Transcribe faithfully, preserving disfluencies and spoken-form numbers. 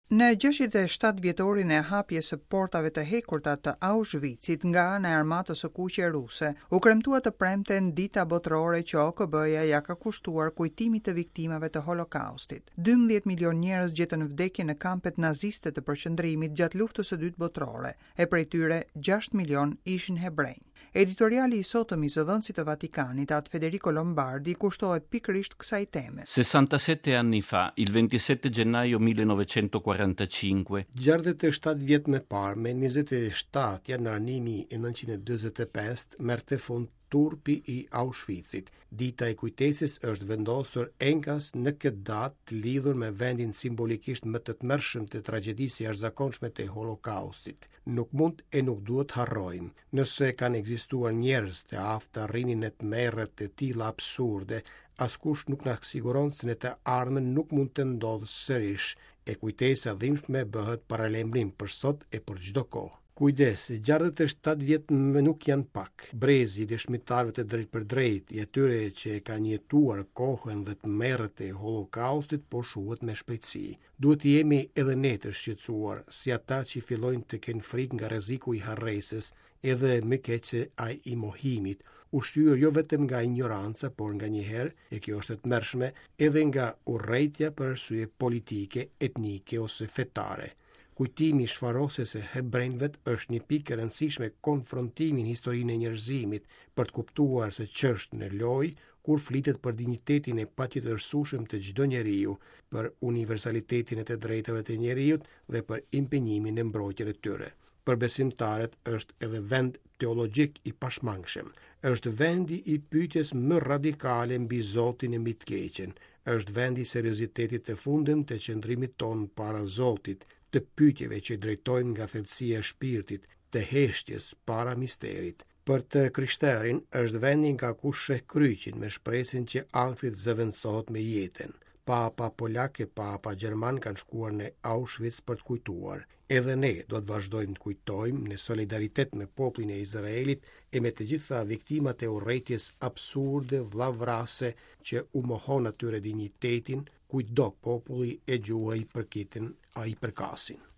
Në gjashtëdhjetë e shtatë vjetorin e hapjes së portave të hekurta të Auschwitzit nga ana e armatës së kuqe ruse, u kremtua të premten dita botërore që O K B-ja ja ka kushtuar kujtimit të viktimave të Holokaustit. dymbëdhjetë milion njerëz gjetën vdekjen në kampet naziste të përqendrimit gjatë Luftës së Dytë Botërore, e prej tyre gjashtë milion ishin hebrenj. Editoriali i sotëm i zëdhënësit të Vatikanit, At Federico Lombardi, kushtohet pikërisht kësaj teme. sessantasette anni fa, il ventisette gennaio millenovecentoquarantacinque, Gjashtëdhjetë e shtatë vjet më parë, me njëzet e shtatë janar një mijë e nëntëqind e dyzet e pesë, merrte fund turpi i Auschwitzit. Dita e kujtesës është vendosur enkas në këtë datë të lidhur me vendin simbolikisht më të tmerrshëm të tragjedisë së jashtëzakonshme të Holokaustit. Nuk mund e nuk duhet harrojmë. Nëse kanë ekzistuar njerëz të aftë të arrinin në tmerre të tilla absurde, askush nuk na siguron se në të ardhmen nuk mund të ndodhë sërish, e kujtesa e dhimbshme bëhet paralajmërim për sot e për çdo kohë. Kujdes, gjashtëdhjetë e shtatë vjet më nuk janë pak. Brezi i dëshmitarëve të drejtpërdrejtë, i atyre që e kanë jetuar kohën dhe tmerret e Holokaustit, po shuhet me shpejtësi. Duhet të jemi edhe ne të shqetësuar, si ata që fillojnë të kenë frikë nga rreziku i harresës, edhe më keq se ai i mohimit, ushqyer jo vetëm nga ignoranca, por nganjëherë, e kjo është e tmerrshme, edhe nga urrejtja për arsye politike, etnike ose fetare. Kujtimi i shfarosjes së hebrejve është një pikë e rëndësishme konfrontimi në historinë e njerëzimit për të kuptuar se ç'është në lojë kur flitet për dinjitetin e patjetërsueshëm të çdo njeriu, për universalitetin e të drejtave të njeriut dhe për impenjimin e mbrojtjen e tyre. Për besimtarët është edhe vend teologjik i pashmangshëm. Është vendi i pyetjes më radikale mbi Zotin e mbi të keqen. Është vendi i seriozitetit të fundëm të qëndrimit tonë para Zotit, të pyetjeve që drejtojnë nga thellësia e shpirtit, të heshtjes para misterit. Për të krishterin është vendi nga ku sheh kryqin me shpresën që ankthi të zëvendësohet me jetën. Papa polak e papa gjerman kanë shkuar në Auschwitz për të kujtuar. Edhe ne do të vazhdojmë të kujtojmë në solidaritet me popullin e Izraelit e me të gjitha viktimat e urrejtjes absurde, vllavrase që u mohon atyre dinjitetin, kujtdo populli e gjuha i përkitin a i përkasin.